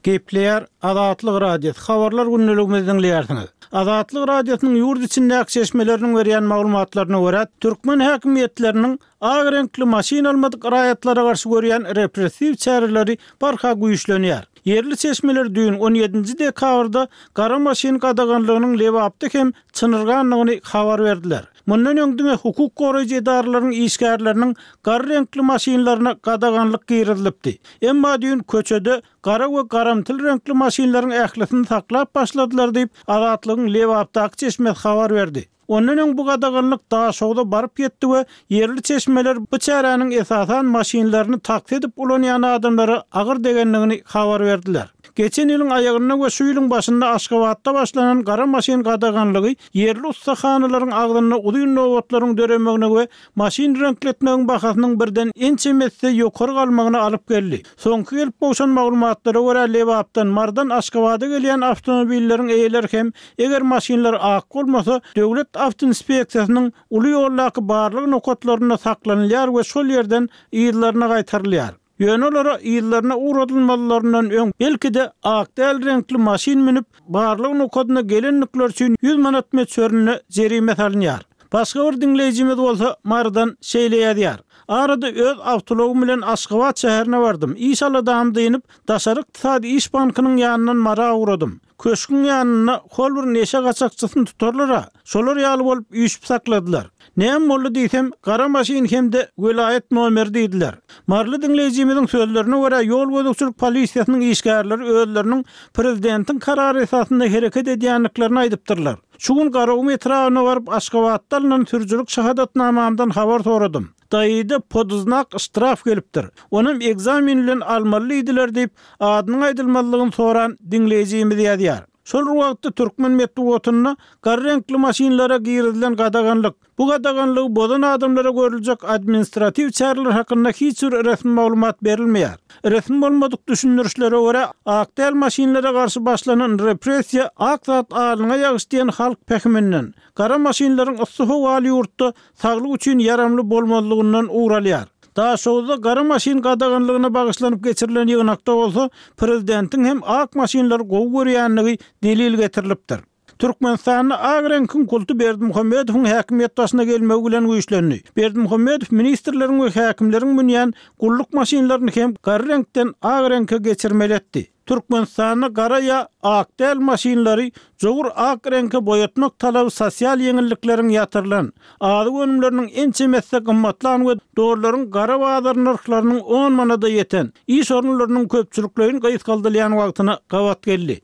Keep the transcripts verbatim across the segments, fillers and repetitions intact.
Gepleýär Azatlyk Radiosy habarlar gündeligimizi diňleýärsiňiz. Azatlyk Radiosynyň ýurt içindäki çeşmeleriniň berýän maglumatlaryna görä, türkmen häkimiýetleriniň ak reňkli maşyn almadyk raýatlara garşy görýän repressiw çäreleri barha güýçlenýär. Ýerli çeşmeler düýn on ýedinji dekabrda gara maşyn gadaganlygynyň Lebapda hem çynyrganlygyny habar berdiler. Mundan öň diňe hukuk goraýjy edaralaryň işgärleriniň gara reňkli maşynlaryna gadaganlyk girizilipdi. Emma düýn köçede gara we garamtyl reňkli maşynlaryň ählisini saklap başladylar diýip, Azatlygyň Lebapdaky çeşmesi habar berdi. Ondan öň bu gadaganlyk Daşogza baryp ýetdi we ýerli çeşmeler bu çäräniň esasan maşynlaryny taksi edip ulanýan adamlara agyr degenligini habar berdiler. Geçen ýylyň aýagynda we şu ýylyň başynda Aşgabatda başlanan gara maşyn gadaganlygy ýerli ussahanalaryň agzynda uzyn nobatlaryň döremegine we maşyn reňkletmegiň bahasynyň birden ençeme esse ýokary galmagyna alyp geldi. Soňky gelip gowşan maglumatlara görä Lebapdan, Mardan Aşgabada gelýän awtomobilleriň eýeleri hem eger maşynlar ak bolmasa, döwlet awtoinspeksiýasynyň uly ýoldaky barlyk nokatlarynda saklanylýar we şol ýerden yzlaryna gaýtarylýar. Ýöne olara yzlaryna ugradylmalaryndan öň belki-de ak däl reňkli maşyn münüp, barlyk nokadyna gelenlikler üçin ýüz manat möçberinde jerime salynýar. Başga bir diňleýjimiz bolsa Mardan şeýle ýazýar. Arada öz awtologym bilen Aşgabat şäherine bardym. Iş aladam diýinip, Daşary ykdysady iş bankynyň ýanyndan Mara ugradym. Köşküň ýanynda hol bir neşe gaçakçysyny tutarlar-a. Şolar ýaly bolup üýşüp sakladylar. Näme boldy diýsem, gara maşyn hem-de welaýat nomeri diýdiler. Marly diňleýjimiziň sözlerine görä ýol gözegçilik polisiýasynyň işgärleri özleriniň prezidentiň karary esasynda hereket edýändiklerini aýdypdyrlar. Şu gün Garagum etrabyna baryp Aşgabatda alynan sürüjilik şahadatnamamdan habar soradym. Daýyda poduznak ştraf gelipdir. Onam ekzamen bilen almaly diýdiler diýip, adynyň aýdylmazlygyny soran diňleýjimiz ýazýar. Şol wagtda türkmen metbugatynda gara reňkli maşynlara girizilen gadaganlyk, bu gadaganlygy bozan adamlara görüljek administratiw çäreler hakynda hiç bir resmi maglumat berilmeýär. Resmi bolmadyk düşündirişlere görä, ak däl maşynlara garşy başlanan repressiýa ak zat alyna ýagyş diýen halk pähiminden, gara maşynlaryň yssy howaly ýurtda saglyk üçin ýaramly bolmazlygyndan ugralýar. Daşoguzda gara maşyn gadaganlygyna bagyşlanyp geçirilen ýygnakda bolsa, prezidentiň hem ak maşynlary gowy görýänligi delil getirilipdir. Türkmenistanda ak reňkiň kulty Berdimuhamedowyň häkimiýet başyna gelmegi bilen güýçlendi. Berdimuhamedow ministrleriň we häkimleriň münýän gulluk maşynlaryny hem gara reňkden ak reňke geçirmeli etdi. Türkmenistanda gara ýa ak däl maşynlary jogur ak reňke boýatmak talaby sosial ýeňillikleriň ýatyrylan, azyk önümleriniň ençeme esse gymmatlan we dollaryň gara bazar nyrhlarynyň on manada ýeten, iş orunlarynyň köpçülikleýin gysgaldylýan wagtyna gabat geldi.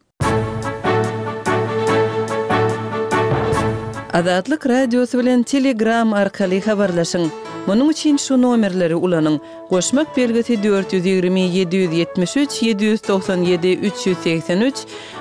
Azatlyk Radiosy bilen Telegram arkaly habarlaşyň. Munuň üçin şu nomerleri ulanyň. Goşmak belgisi dört ýüz ýigrimi ýedi ýüz ýetmiş üç ýedi ýüz togsan ýedi üç ýüz segsen üç,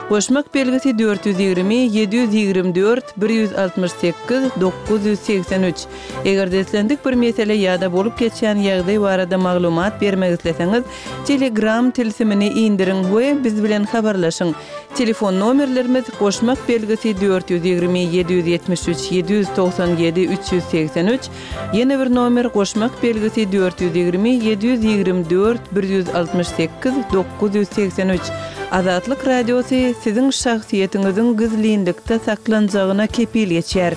goşmak belgisi dört ýüz ýigrimi ýedi ýüz ýigrimi dört bir ýüz altmyş sekiz dokuz ýüz segsen üç. Eger-de islendik bir mesele ýa-da bolup geçýän ýagdaý barada maglumat bermek isleseňiz, Telegram tilsimini indiriň we biz bilen habarlaşyň. Telefon nomerlerimiz goşmak belgisi dört ýüz ýigrimi ýedi ýüz ýetmiş üç ýedi ýüz togsan ýedi üç ýüz segsen üç, ýene bir nomer goşmak belgisi dört ýüz ýigrimi ýedi ýüz ýigrimi dört bir ýüz altmyş sekiz dokuz ýüz segsen üç. Azatlyk Radiosy siziň şahsyýetiňiziň gizlinlikde saklanjagyna kepil geçýär.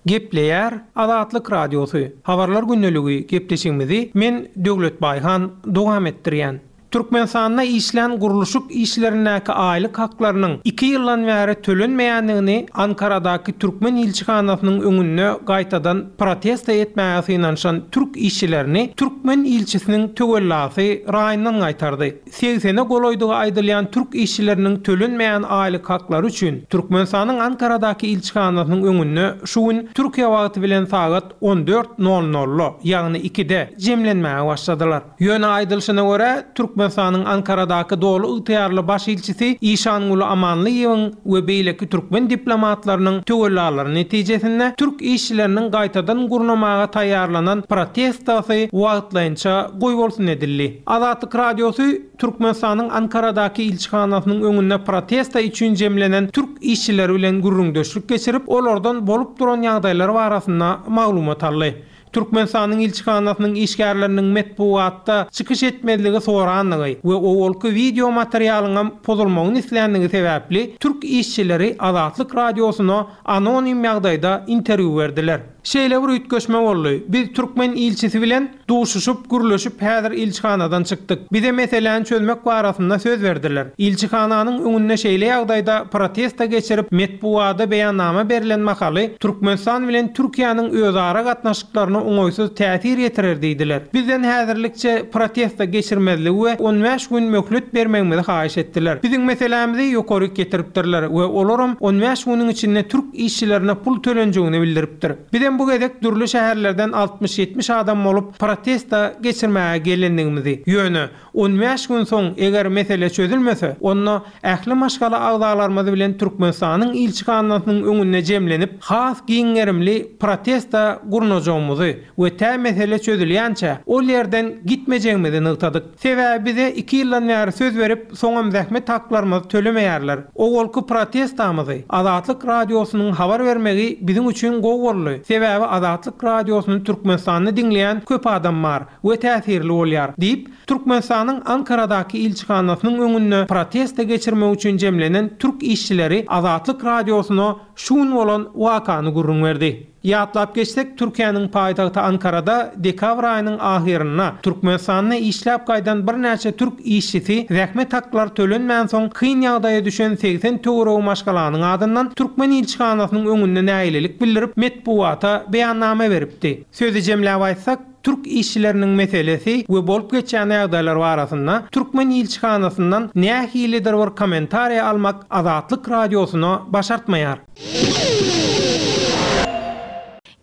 Gepleýär Azatlyk Radiosy. Habarlar gündeligi gepleşigimizi men Döwlet Baýhan dowam etdirýän. Türkmenistanda işlän gurluşyk işlerindäki aýlyk haklarynyň iki ýyldan bäri tölenmeýändigini Ankaradaky türkmen ilçihanasynyň öňünde gaýtadan protesta etmäge synanyşan türk işçilerini türkmen ilçisiniň töwellasy raýyndan gaýtardy. Segsene golaýdygy aýdylýan türk işçileriniň tölenmeýän aýlyk haklary üçin Türkmenistanyň Ankaradaky ilçihanasynyň öňünde şu gün Türkiýe wagty bilen sagat on dört nol nolda, ýagny ikide jemlenmäge başladylar. Ýöne aýdylyşyna görä, Türkmenistanyň Türkmenistanyň Ankaradaky doly ygtyýarly baş ilçisi Işanguly Amanlyýewiň we beýleki türkmen diplomatlarynyň töwellalary netijesinde türk işçileriniň gaýtadan gurnamaga taýýarlanan protestasy wagtlaýynça goýbolsun edildi. Azatlyk Radiosy Türkmenistanyň Ankaradaky ilçihanasynyň öňünde protesta üçin jemlenen türk işçileri bilen gürrüňdeşlik geçirip, olardan bolup duran ýagdaýlar barasynda maglumat aldy. Türkmenistanyň ilçihanasynyň işgärleriniň metbugatda çykyş etmezligi sorandygy we owalky wideo materialynyň pozulmagyny isländigi sebäpli türk işçileri Azatlyk Radiosyna anonim ýagdaýda interwýu berdiler. Şeýle bir üýtgeşme boldy. Biz türkmen ilçisi bilen duşuşyp, gürleşip häzir ilçihanadan çykdyk. Bize meseläni çözmek barasynda söz berdiler. Ilçihananyň öňünde şeýle ýagdaýda protesta geçirip, metbugata beýannama berilen mahaly Türkmenistan bilen Türkiýäniň özara gatnaşyklaryna oňaýsyz täsir ýetirer diýdiler. Bizden häzirlikçe protesta geçirmezligi we on bäş gün möhlet bermegimizi haýyş etdiler. Biziň meselämizi ýokary getiripdirler we olaram on bäş günüň içinde türk işçilerine pul tölenjegini bildiripdir. Bizem bu gezek dürli şäherlerden altmyş ýetmiş adam bolup protesta geçirmäge gelendigimizi, ýöne on bäş gün soň eger mesele çözülmese, onda ähli maşgala agzalarymyz bilen Türkmenistanyň ilçihanasynyň öňünde jemlenip, has giň gerimli protesta gurnajagymyzy we tä mesele çözülýänçä ol ýerden gitmejegimizi nygtadyk. Sebäbi bize iki ýyldan bäri söz berip, soňam zähmet haklarymyzy tölemeýärler. Owalky protestamyzy Azatlyk Radiosynyň habar bermegi biziň üçin gowy boldy. Sebäbi Azatlyk Radiosyny Türkmenistanda diňleýän köp adam bar we täsirli bolýar diýip, Türkmenistanyň Ankaradaky ilçihanasynyň öňünde protesta geçirmek üçin jemlenen türk işçileri Azatlyk Radiosyna şu gün bolan wakany gürrüň berdi. Ýatlap geçsek, Türkiýäniň paýtagty Ankarada dekabr aýynyň ahyrynda Türkmenistanda işläp gaýdan birnäçe türk işçisi zähmet haklary tölenmän soň kyn ýagdaýa düşen segsen töweregi maşgalanyň adyndan türkmen ilçihanasynyň öňünde nägilelik bildirip, metbugata beýannama beripdi. Sözi jemläp aýtsak, türk işçileriniň meselesi we bolup geçýän ýagdaýlar barasynda türkmen ilçihanasyndan nähilidir bir kommentariýa almak Azatlyk Radiosyna başartmaýar.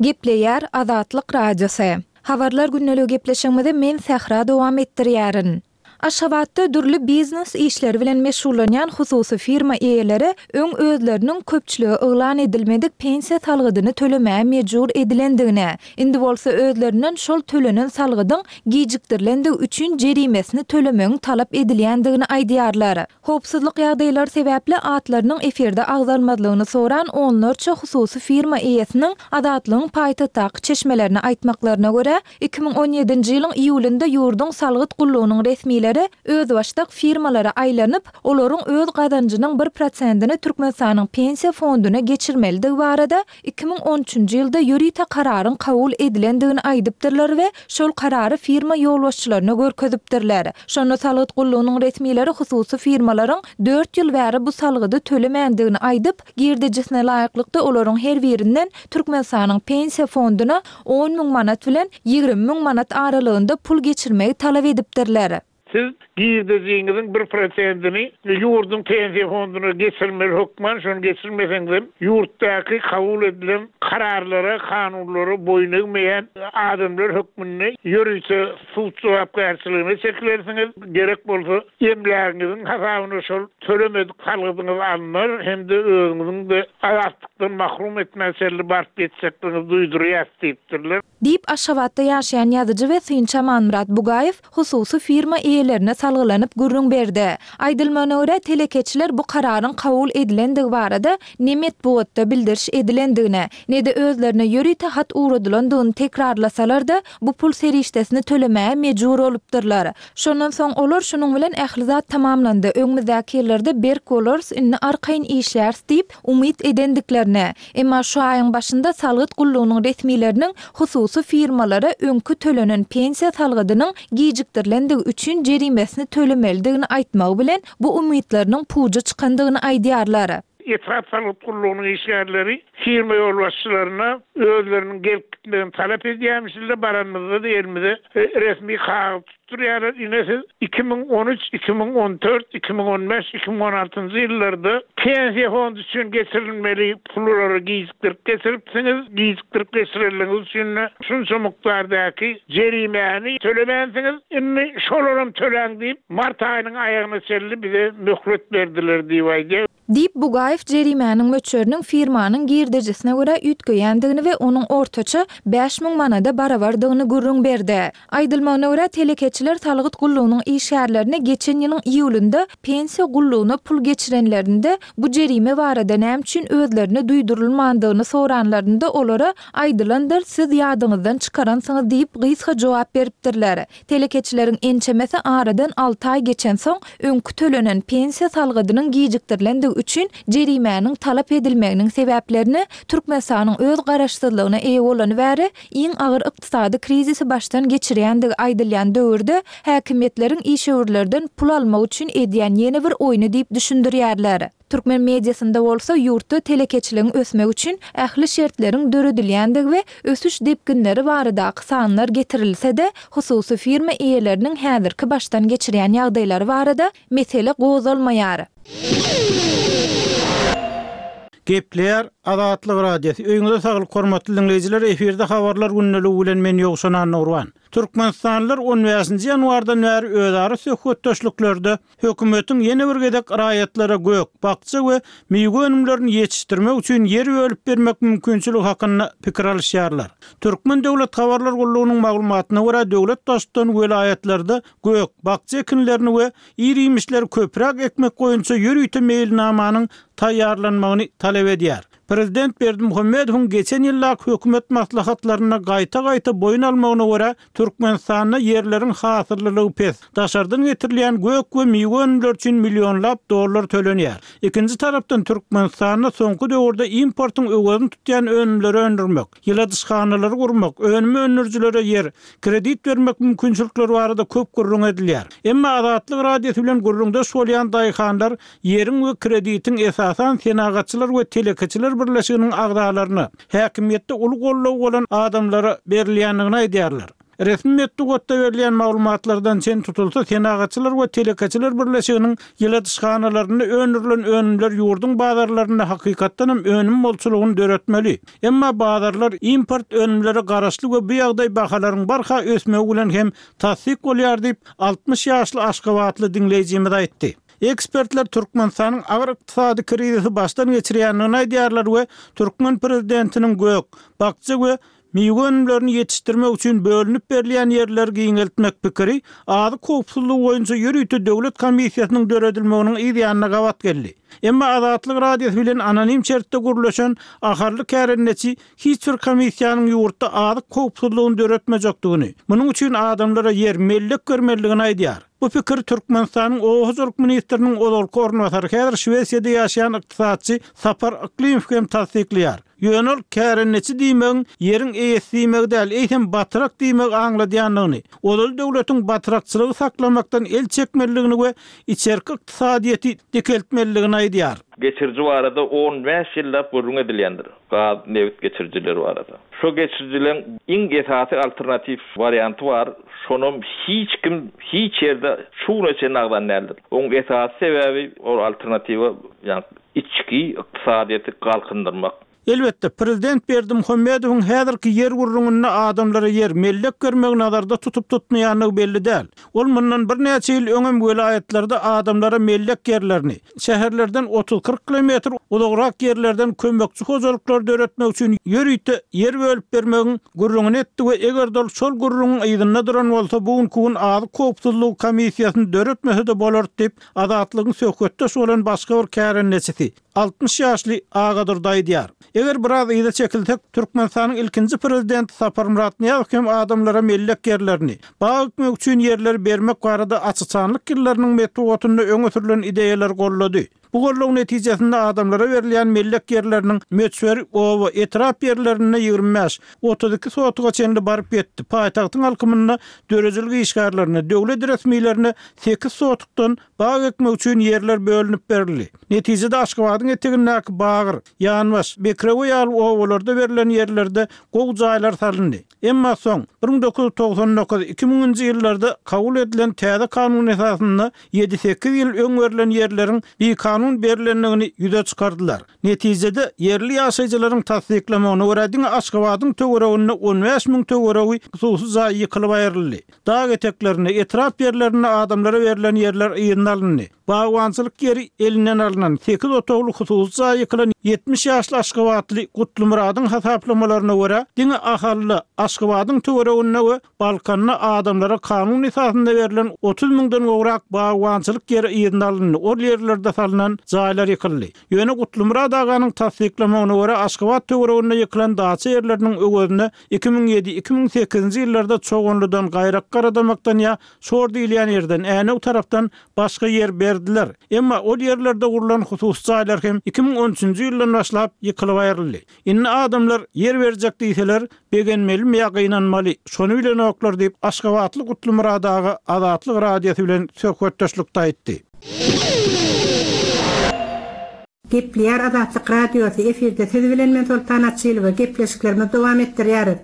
Gepleýär Azatlyk Radiosy. Habarlar gündeligi gepleşigimizi men Sähra dowam etdirýärin. Aşgabatda dürli biznes işleri bilen meşgullanýan hususy firma eýeleri öň özleriniň köpçülige yglan edilmedik pensiýa salgydyny tölemäge mejbur edilendigine, indi bolsa özlerinden şol tölenen salgydyň gijikdirilendigi üçin jerimesini tölemegiň talap edilýändigini aýdýarlar. Howpsuzlyk ýagdaýlary sebäpli atlarynyň efirde agzalmazlygyny soran onlarça hususy firma eýesiniň Azatlygyň paýtagtdaky çeşmelerini aýtmaklaryna görä, iki müň on ýedinji ýylyň iýulynda ýurduň salgyt gullugynyň resmileri özbaşdak firmalara aýlanyp, olaryň öz gazanjynyň bir prosentini Türkmenistanyň pensiýa fonduna geçirmelidigi barada iki müň on üçünji ýylda ýörite kararyň kabul edilendigini aýdypdyrlar we şol karary firma ýolbaşçylaryna görkezipdirler. Şonda salgyt gullugynyň resmileri hususy firmalaryň dört ýyl bäri bu salgydy tölemändigini aýdyp, girdejisine laýyklykda olaryň her birinden Türkmenistanyň pensiýa fonduna on müň manat bilen ýigrimi müň manat aralygynda pul geçirmegi talap edipdirler. Siz girdejiňiziň bir prosentini ýurduň pensiýa fonduna geçirmeli hökman, şonu geçirmeseňiz ýurtdaky kabul edilen kararlara, kanunlara boýun egmeýän adamlar hökmünde ýörite sud jogapkärçiligine çekilersiňiz. Gerek bolsa emlägiňiziň hasabyna şol tölemedik salgydyňyz alnar hem-de özüňiziň de azatlykdan mahrum etmäçerli baryp ýetjekligiňizi duýdurýar diýipdirler. Diýip Aşgabatda ýaşaýan ýazyjy we synçy Amanmyrat Bugaýew hususy firma eýelerine salgylanyp gürrüň berdi. Aýdylmagyna görä telekeçiler bu kararyň kabul edilendigi barada ne metbugatda bildiriş edilendigine, ne-de özlerine ýörite hat ugradylandygyny tekrarlasalar-da, bu pul serişdesini tölemäge mejbur bolupdyrlar. Şondan soň olar şunuň bilen ähli zat tamamlandy. Öňümizdäki ýyllarda berk bolarys, indi arkaýyn işläris diýip umyt edendiklerine. Emma şu aýyň başynda salgyt gullugynyň resmileriniň hususy firmalara öňkü tölenen pensiýa salgydynyň gijikdirilendigi üçin jerimesini tölemelidigini aýtmagy bilen bu umytlarynyň puja çykandygyny aýdýarlar. Etrap salgyt gullugynyň işgärleri firma ýolbaşçylaryna özleriniň gelip gitmegini talap edýärmişler, baranymyzda-da elimize resmi kagyz tutdurýarlar. Ine siz iki müň on üç, iki müň on dört, iki müň on bäş, iki müň on altynjy ýyllarda pensiýa fondy üçin geçirilmeli pullary gijikdirip geçiripsiňiz, gijikdirip geçirenligiňiz üçin şunça mukdardaky jerimäni tölemänsiňiz, indi şolaram töläň diýip, mart aýynyň aýagyna çenli bize möhlet berdiler diýip aýdýar. Diýip, Bugaýew jerimäniň möçberiniň firmanyň girdejisine görä üýtgeýändigini we onuň ortaça bäş müň manada barabardygyny gürrüň berdi. Aýdylmagyna görä, telekeçiler salgyt gullugynyň işgärlerine geçen ýylyň iýulynda pensiýa gullugyna pul geçirenlerinde bu jerime barada näme üçin özlerine duýdurylmandygyny soranlarynda olara aýdylandyr, siz ýadyňyzdan çykaransyňyz diýip gysga jogap beripdirler. Telekeçileriň ençemesi aradan alty aý geçensoň öňkü tölenen pensiýa salgydynyň gijikdirilendigi üçin jerimäniň talap edilmeginiň sebäplerini Türkmenistanyň öz garaşsyzlygyna eýe bolany bäri iň agyr ykdysady krizisi başdan geçirýändigi aýdylýan döwürde häkimiýetleriň işewürlerden pul almak üçin edýän ýene bir oýny diýip düşündirýärler. Türkmen mediasynda bolsa ýurtda telekeçiligiň ösmegi üçin ähli şertleriň döredilýändigi we ösüş depginleri baradaky sanlar getirilse-de, hususy firma eýeleriniň häzirki başdan geçirýän ýagdaýlary barada mesele gozgalmaýar. Gepleýär Azatlyk Radiosy. Öýüňize saglyk hormatly dinleýjiler, efirde habarlar gündeligi bilen men Ýowşan Annagurban. Türkmenistanlylar on bäşinji ýanwardan bäri özara söhbetdeşliklerde hökümetiň ýene bir gezek raýatlara gök, bakja we miwe önümlerini ýetişdirmek üçin ýer bölüp bermek mümkinçiligi hakynda pikir alyşýarlar. Türkmen Döwlet Habarlar Gullugynyň maglumatyna görä, döwlet baştutan welaýatlarda gök, bakja ekinlerini we ir-iýmişleri köpräk ekmek boýunça ýörite meýilnamanyň taýýarlanmagyny talap edýär. Prezident Berdimuhamedowyň geçen ýyldaky hökümet maslahatlarynda gaýta-gaýta boýun almagyna görä, Türkmenistanda ýerleriň hasyllylygy pes, daşardan getirilýän gök we miwe önümleri üçin millionlap dollar tölenýär. Ikinji tarapdan Türkmenistanda soňky döwürde importyň öwezini tutýan önümleri öndürmek, ýyladyşhanalary gurmak, önüm öndürijilere ýer, kredit bermek mümkinçilikleri barada köp gürrüň edilýär. Emma Azatlyk Radiosy bilen gürrüňdeş bolýan daýhanlar ýeriň we kreditiň esasan senagatçylar we telekeçiler birleşiginiň agzalaryna, häkimiýetde uly goldaw bolan adamlara berilýändigini aýdýarlar. Resmi metbugatda berilýän maglumatlardan çen tutulsa, senagatçylar we telekeçiler birleşiginiň ýyladyşhanalarynda öndürilen önümler ýurduň bazarlarynda hakykatdan hem önüm bolçulygyny döretmeli. Emma bazarlar import önümlere garaşly we bu ýagdaý bahalaryň barha ösmegi bilen hem tassyk bolýar diýip, altmyş ýaşly Aşgabatly dinleýjimiz aýtdy. Ekspertler Türkmenistanyň agyr ykdysady krizisi başdan geçirýändigini aýdýarlar we türkmen prezidentiniň gök, bakja we miwe önümlerini ýetişdirmek üçin bölünip berilýän ýerleri giňeltmek pikiri azyk howpsuzlygy boýunça ýörite döwlet komissiýasynyň döredilmeginiň yz ýanyna gabat geldi. Emma Azatlyk Radiosy bilen anonim şertde gürleşen aharly kärendeçi hiç bir komissiýanyň ýurtda azyk howpsuzlygyny döretmejekdigini, munuň üçin adamlara ýer mellek bermelidigini aýdýar. Bu pikir Türkmenistanyň Oba hojalyk ministriniň ozalky orunbasary, häzir Şwesiýada ýaşaýan ykdysatçy Sapar Yklymow hem tassyklaýar. Ýöne ol kärendeçi diýmegiň ýeriň eýesi diýmegi däl, eýsem batyrak diýmegi aňladýandygyny, ozal döwletiň batyrakçylygy saklamakdan el çekmelidigini we içerki ykdysadyýeti dikeltmelidigini aýdýar. Geçiriji barada on bäş ýyllap gürrüň edilýändir. Gaz, nebit geçirijileri barada. Şu geçirijilerin iň esasy alternatif warianty bar. Şonam hiç kim hiç ýerde şu güne çenli agzan däldir. Oň esasy sebäbi ol alternatiwa, ýagny içki ykdysadyýeti galkyndyrmak. Elbetde, Prezident Berdimuhamedowyň häzirki ýer gürrüňinde adamlara ýer mellek bermegi nazarda tutup tutmaýandygy belli däl. Ol mundan birnäçe ýyl öňem welaýatlarda adamlara mellek ýerlerini, şäherlerden otuz kyrk kilometr uzagrak ýerlerden kömekçi hojalyklar döretmek üçin ýörite ýer bölüp bermegiň gürrüňini etdi we eger ol şol gürrüňiň yzynda duran bolsa, bu günkü gün azyk howpsuzlygy komissiýasyny döretmese-de bolar diýip, Azatlygyň söhbetdeş bolan başga bir kärendeçisi altmyş ýaşly Agadurdy aýdýar. Eger biraz yza çekilsek, Türkmenistanyň ilkinji prezidenti Saparmyrat Nyýazow hem adamlara mellek ýerlerini, bag ekmek üçin ýerleri bermek barada açyçanlyk ýyllarynyň metbugatynda öňe sürülen ideýalar gollady. Bu golluň netijesinde adamlara berilýän mellek ýerleriniň möçberi oba etrap ýerlerinde ýigrimi bäş, otuz iki sotuga çenli baryp ýetdi. Paýtagtyň alkymynda döredijilik işgärlerine, döwlet resmilerine sekiz sotukdan bag ekmek üçin ýerler bölünip berildi. Netijede Aşgabadyň etegindäki Bagyr, Ýanbaş, Bekrewe ýaly obalarda berlen ýerlerde gowy jaýlar salyndy. Emma soň bir müň dokuz ýüz togsan dokuz, iki müňünji ýyllarda kabul edilen täze kanun esasynda ýedi sekiz ýyl öň berlen ýerleriň bikanun berilendigini ýüze çykardylar. Netijede ýerli ýaşaýjylaryň tassyklamagyna görä diňe Aşgabadyň töwereginde on bäş müň töweregi hususy jaý ýykylyp aýryldy. Dag eteklerinde, etrap ýerlerinde adamlara berlen ýerler yzyna alyndy. Bagbançylyk ýeri elinden alynan sekiz otagly hususy jaý ýykylan ýetmiş ýaşly Aşgabatly Gutlymyradyň hasaplamalaryna görä diňe Ahally, Aşgabadyň töwereginde we Balkanda adamlara kanun esasynda berlen otuz müňden gowrak bagbançylyk ýeri yzyna alyndy. Ol ýerlerde salynan jaýlar ýykyldy. Ýöne Gutlymyrat aganyň tassyklamagyna görä Aşgabat töwereginde ýykylan daça ýerleriniň öwezine iki müň ýedi, iki müň sekizinji ýyllarda Çoganlydan, Gaýrak Garadamakdan ýa Şor diýilýän ýerden, Änew tarapdan başga ýer berdiler. Emma ol ýerlerde gurlan hususy jaýlar hem iki müň on üçünji ýyldan başlap ýykylyp aýryldy. Indi adamlar ýer berjek diýseler, begenmelimi ýa gynanmaly, şony bilenoklar diýip Aşgabatly Gutlymyrat aga Azatlyk radiosy bilen söhbetdeşlikde aýtdy. Gepleýär Azatlyk Radiosy, efirde siz bilen men Soltan Açylowa, gepleşiklerimizi dowam etdirýäris.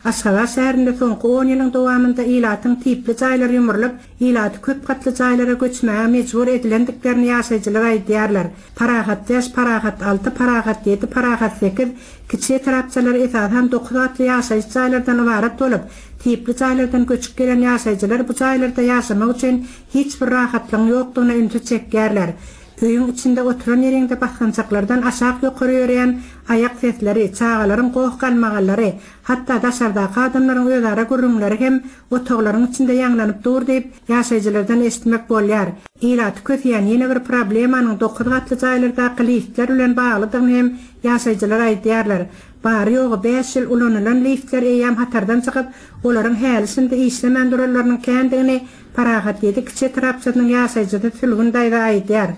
Aşgabat şäherinde soňky on ýylyň dowamynda ilatyň tipli jaýlary ýumrulyp, ilaty köp gatly jaýlara göçmäge mejbur edilendiklerini ýaşaýjylar aýdýarlar. Parahat bäş, Parahat alty, Parahat ýedi, Parahat sekiz kiçi etrapçalary esasan dokuz gatly ýaşaýyş jaýlardan ybarat bolup, tipli jaýlardan göçüp gelen ýaşaýjylar bu jaýlarda ýaşamak üçin hiç bir rahatlygyň ýokdugyna ünsi çekýärler. Öýüň içinde oturan ýeriňde basgançaklardan aşak ýokary ýörýän aýak sesleri, çagalaryň goh-galmagallary, hatda daşardaky adamlaryň özara gürrüňleri hem otaglaryň içinde ýaňlanyp dur diýip, ýaşaýjylardan eşitmek bolýar. Ilaty köseýän ýene bir problemanyň dokuz gatly jaýlardaky liftler bilen baglydygyny hem ýaşaýjylar aýdýarlar. Bary ýogy bäş ýyl ulanylan liftler eýýäm hatardan çykyp, olaryň häli şindi işlemän duranlarynyň kändigini Parahat ýedi kiçi etrapçasynyň ýaşaýjysy Sülgün daýza aýdýar.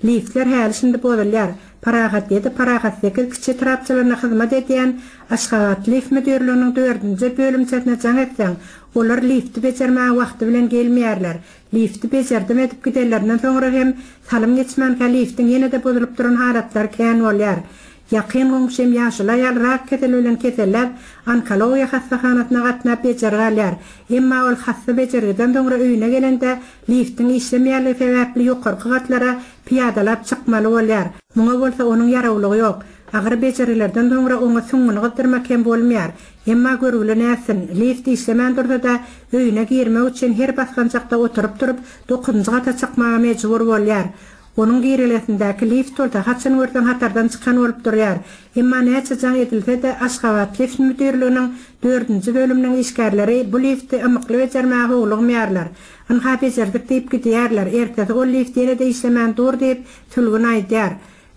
Liftler häli şindi bozulýar. Parahat ýedi, Parahat sekiz kiçi etrapçalaryna hyzmat edýän Aşgabat lift müdirliginiň dördünji bölümçesine jaň etseň, olar lifti bejermäge wagty bilen gelmeýärler. Lifti bejerdim edip gidenlerinden soňra hem salym geçmänkä liftiň ýene-de bozulyp duran halatlary kän bolýar. Ýakyn goňşym ýaşuly aýal rak keseli bilen keselläp, onkologiýa hassahanasyna gatnap bejergi alýar. Emma ol hassa bejergiden soňra öýüne gelende liftiň işlemeýänligi sebäpli ýokarky gatlara piýadalap çykmaly bolýar. Muňa bolsa onuň ýarawlygy ýok. Agyr bejergilerden soňra oňa süňňüni gyzdyrmak hem bolmaýar. Emma görgüli nätsin, lift işlemän dursa-da öýüne girmek üçin her basgançakda oturyp durup dokuzynjy gata çykmaga mejbur bolýar. Onuň girelgesindäki lift bolsa haçan görseň hatardan çykan bolup durýar. Emma näçe jaň edilse-de Aşgabat lift müdirliginiň dördünji bölüminiň işgärleri bu lifti ymykly bejermäge howlugmaýarlar. Ynha bejerdik diýip gidýärler. Ertesi ol lift ýene-de işlemän dur diýip Sülgün aýdýar.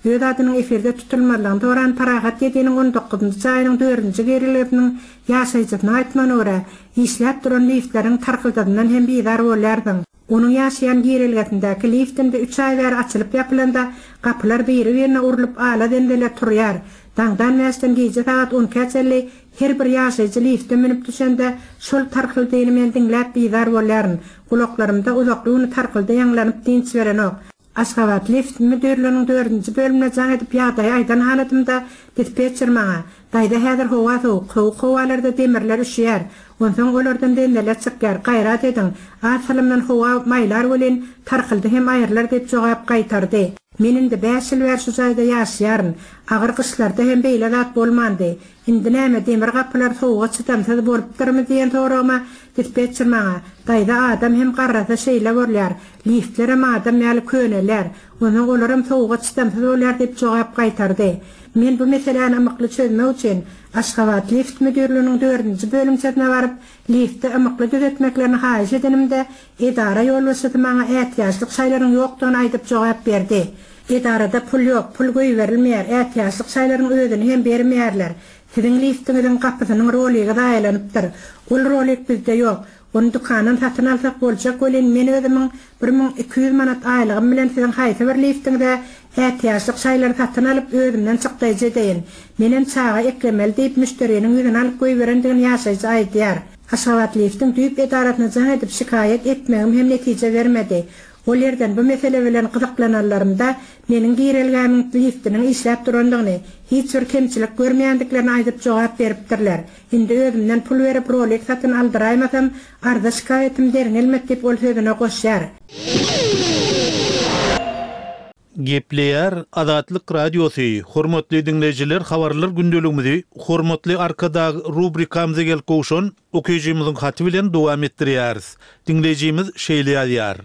Öz adynyň efirde tutulmazlygyny soran Parahat ýediniň on dokuzynjy jaýynyň dördünji girelgesiniň ýaşaýjysynyň aýtmagyna görä, işläp duran liftleriň tarkyldadyndan hem bizar bolýarsyň. Onuň ýaşaýan girelgesindäki lift indi üç aý bäri açylyp ýapylanda gapylar biri-birine urlup ala zenzele turýar. Daňdan bäşden gije sagat on ikä çenli her bir ýaşaýjy lifte münüp düşende şol tarkyldyny men diňläp bizar bolýaryn. Gulaklarymda uzakly güni tarkyldy ýaňlanyp dynç berenok. Aşgabat lift müdirliginiň dördünji bölümine jaň edip ýagdaýy aýdan halatymda dispetçer maňa, Daýza häzir howa sowuk, sowuk howalarda demirler üşüýär. Onsoň olardan zenzeler çykýar, gaýrat ediň, az salymdan howa maýlar welin tarkyldy hem aýrylar diýip jogap gaýtardy. Men indi bäş ýyl bäri şu jaýda ýaşaýaryn. Agyr gyşlarda hem beýle zat bolmandy. Indi näme demir gapylar sowuga çydamsyz bolupdyrmy diýen soragyma dispetçer maňa, Daýza adam hem garrasa şeýle bolýar, liftlerem adam ýaly könelýär, onsoň olaram sowuga çydamsyz bolýar diýip jogap gaýtardy. Men bu meseläni ymykly çözmek üçin Aşgabat lift müdirliginiň dördünji bölümçesine baryp, lifti ymykly düzetmeklerini haýyş edenimde, edara ýolbaşçysy maňa ätiýaçlyk şaýlaryň ýokdugyny aýdyp jogap berdi. Edarada pul ýok, pul goýberilmeýär, ätiýaçlyk şaýlaryň özüni hem bermeýärler. Siziň liftiňiziň gapysynyň roligi zaýalanypdyr. Ol rolik bizde ýok. Ony dükandan satyn alsak boljak welin, men özümiň bir müň iki ýüz manat aýlygym bilen siziň haýsy bir liftiňize ätiýaçlyk şaýlary satyn alyp, özümden çykdaýjy edeýin. Menem çaga eklemeli diýip, müşderiniň ýüzüni alyp goýberendigini ýaşaýjy aýdýar. Aşgabatliftiň düýp edarasyna jaň edip şikaýat etmegim hem netije bermedi. Ol ýerden bu mesele bilen gyzyklananlarymda, meniň girelgämiň liftiniň işläp durandygyny, hiç bir kemçilik görmeýändiklerini aýdyp jogap beripdirler. Indi özümden pul berip rolik satyn aldyraýmasam, arza-şikaýatym derňelmedi diýip ol sözüne goşýar. Gepleýär Azatlyk Radiosy, Hormatly diňleýjiler habarlar gündeligimizi Hormatly Arkadag rubrikamyza gelip gowşan okyjymyzyň haty bilen dowam etdirýäris. Diňleýjimiz şeýle ýazýar.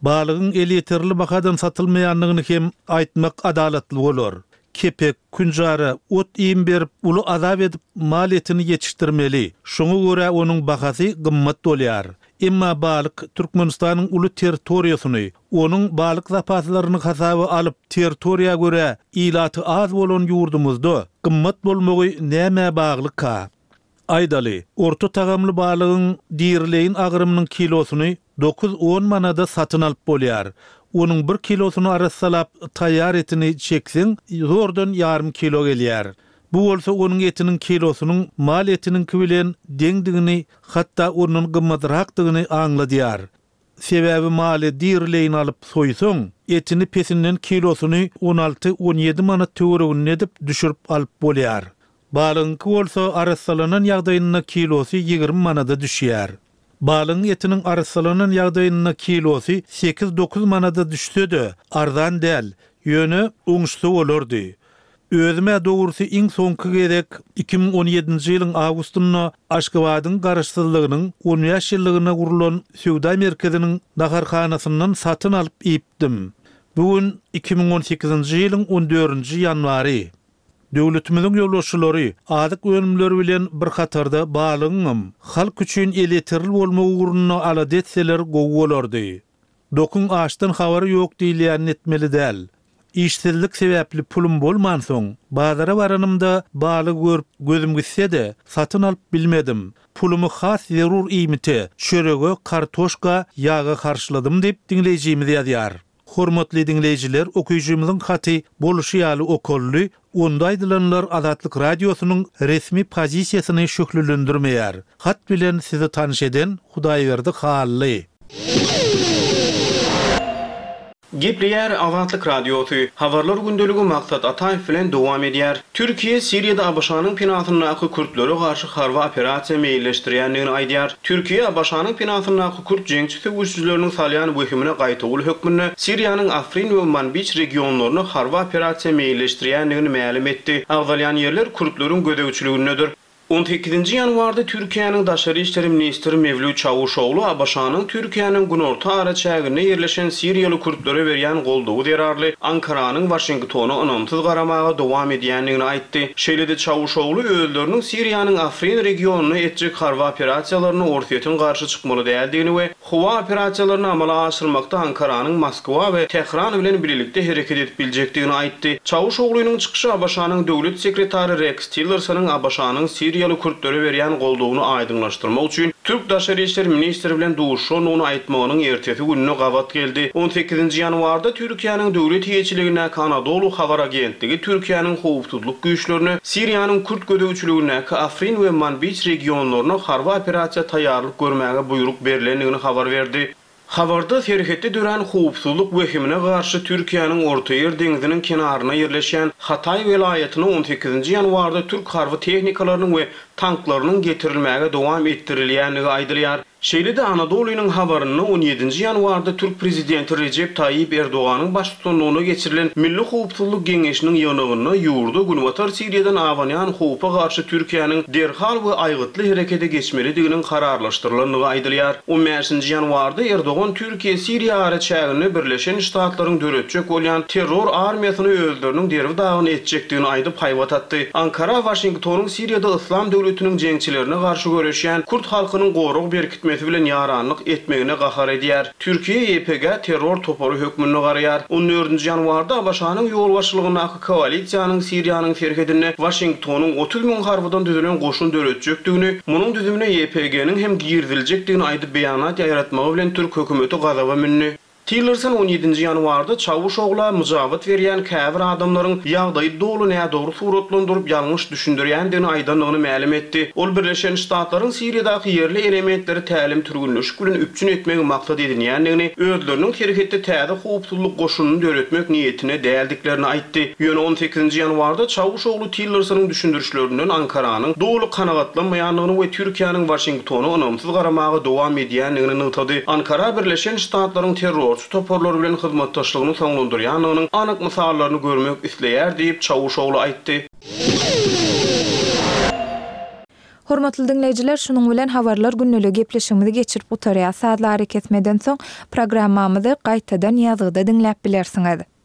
Balygyň elýeterli bahadan satylmaýandygyny hem aýtmak adalatly bolar. Kepek, künjara, ot-iým berip, uly azap edip mal etini ýetişdirmeli. Şoňa görä onuň bahasy gymmat bolýar. Emma balyk Türkmenistanyň uly territoriýasyny, onuň balyk zapaslaryny hasaba alyp, territoriýa görä ilaty az bolan ýurdumyzda gymmat bolmagy nämä baglyka? Aýdaly, orta tagamly balygyň dirileýin agramynyň kilosyny dokuz-on manada satyn alyp bolýar. Onuň bir kilosyny arassalap, taýýar etini çekseň, zordan ýarym kilo gelýär. Bu bolsa onuň etiniň kilosynyň mal etiniňki bilen deňdigini, hatda ondan gymmatrakdygyny aňladýar. Sebäbi maly dirileýin alyp soýsaň, etini pesinden kilosyny on alty-on ýedi manat töwereginde edip düşürip alyp bolýar. Balygyňky bolsa arassalanan ýagdaýynda kilosy ýigrimi manada düşýär. Balygyň etiniň arassalanan ýagdaýynda kilosy sekiz-dokuz manada düşse-de, arzan däl, ýöne oňuşsa bolardy. Özüm-ä dogrusy iň soňky gezek iki müň on ýedinji ýylyň awgustynda Aşgabadyň Garaşsyzlygynyň on bäş ýyllygyna gurlan söwda merkeziniň naharhanasyndan satyn alyp iýipdim. Bu gün iki müň on sekizinji ýylyň on dördünji ýanwary. Döwletimiziň ýolbaşçylary azyk önümleri bilen bir hatarda balygyňam halk üçin elýeterli bolmagy ugrunda alada etseler gowy bolardy. Dokuň açdan habary ýok diýilýänini etmeli däl. Işsizlik sebäpli pulum bolmansoň, bazara baranymda balygy görüp gözüm gitse-de, satyn alyp bilmedim. Pulumy has zerur iýmite, çörege, kartoşka, ýaga harçladym diýip, diňleýjimiz ýazýar. Hormatly diňleýjiler, okyjymyzyň haty boluşy ýaly okaldy, onda aýdylanlar Azatlyk Radiosynyň resmi pozisiýasyny şöhlelendirmeýär. Hat bilen sizi tanyş eden Hudaýberdi Hally. Gepleýär Azatlyk Radiosy, Habarlar gündeligi Maksat Ataýew bilen dowam edýär. Türkiýe Siriýada ABŞ-nyň penasyndaky kürtlere garşy harby operasiýa meýilleşdirýändigini aýdýar. Türkiýe ABŞ-nyň penasyndaky kürt jeňçi söweşijileriniň salýan wehimine gaýtawul hökmünde Siriýanyň Afrin we Manbiç regionlaryna harby operasiýa meýilleşdirýändigini mälim etdi. Agzalýan ýerler kürtleriň gözegçiligindedir. On sekizinji ýanwarda Türkiýäniň daşary işler ministri Mewlüt Çawuşoglu ABŞ-nyň Türkiýäniň günorta araçäginde ýerleşen siriýaly kürtlere berýän goldawy zerarly Ankaranyň Waşingtona ynamsyz garamaga dowam edýändigini aýtdy. Şeýle-de Çawuşoglu özleriniň Siriýanyň Afrin regionynda etjek harby operasiýalaryna Orsýetiň garşy çykmaly däldigini we howa operasiýalaryny amala aşyrmakda Ankaranyň Moskwa we Tähran bilen bilelikde hereket edip biljekdigini aýtdy. Çawuşoglunyň çykyşy ABŞ-nyň döwlet sekretary Reks Tillersonyň ABŞ-nyň siriýaly kürtlere berýän goldawyny aýdyňlaşdyrmak üçin türk daşary işler ministri bilen duşuşandygyny aýtmagynyň ertesi gününe gabat geldi. On sekizinji ýanwarda Türkiýäniň döwlet eýeçiligindäki Anadolu habar agentligi Türkiýäniň howpsuzlyk güýçlerine Siriýanyň kürt gözegçiligindäki Afrin we Manbiç regionlaryna harby operasiýa taýýarlyk görmäge buýruk berlendigini habar berdi. Habarda serhetde dörän howpsuzlyk wehimine garşy Türkiýäniň Ortaýer deňziniň kenarynda ýerleşýän Hataý welaýatyna on sekizinji ýanwarda türk harby tehnikalarynyň we tanklarynyň getirilmäge dowam etdirilýändigi aýdylýar. Şeýle-de Anadolynyň habarynda on ýedinji ýanwarda türk prezidenti Rejep Taýyp Erdoganyň baştutanlygynda geçirilen Milli howpsuzlyk geňeşiniň ýygnagynda ýurda Günbatar Siriýadan abanýan howpa garşy Türkiýäniň derhal we aýgytly herekete geçmelidiginiň kararlaşdyrylandygy aýdylýar. On bäşinji ýanwarda Erdogan Türkiýe-Siriýa araçäginde Birleşen Ştatlaryň döretjek bolýan terror armiýasyny özleriniň derbi-dagyn etjekdigini aýdyp haýbat atdy. Ankara Waşingtonyň Siriýada Yslam döwletiniň döwletiniň jeňçilerine garşy göreşýän kürt halkynyň gorag berkitmesi bilen ýaranlyk etmegine gahar edýär. Türkiýe YPG-ä terror topary hökmünde garaýar. On dördünji ýanwarda ABŞ-nyň ýolbaşçylygyndaky koalisiýanyň Siriýanyň serhedinde Waşingtonyň otuz müň harbydan düzülen goşun döretjekdigini, munuň düzümine YPG-niň hem giriziljekdigini aýdyp beýanat ýaýratmagy bilen türk hökümeti gazaba mündi. Tillerson on ýedinji ýanwarda Çawuşogla myjabat berýän käbir adamlaryň ýagdaýy doly nädogry suratlandyryp, ýalňyş düşündirýändigini aýdandygyny mälim etdi. Ol Birleşen Ştatlaryň Siriýadaky ýerli elementleri tälim-türgenleşik bilen üpjün etmegi maksat edinýändigini, özleriniň serhetde täze howpsuzlyk goşunyny döretmek niýetinde däldiklerini aýtdy. Ýöne on sekizinji ýanwarda Çawuşoglu Tillersonyň düşündirişlerinden Ankaranyň doly kanagatlanmaýandygyny we Türkiýäniň Waşingtona ynamsyz garamaga dowam edýändigini nygtady. Ankara Birleşen Ştatlaryň terrorçy toparlar bilen hyzmatdaşlygyny soňlandyrýandygynyň anyk mysallaryny görmek isleýär diýip, Çawuşoglu aýtdy. Hormatly diňleýjiler, şunuň bilen Habarlar gündeligi gepleşigimizi geçirip gutarýas. Sazly arakesmeden soň programmamyzy gaýtadan ýazgyda diňläp bilersiňiz.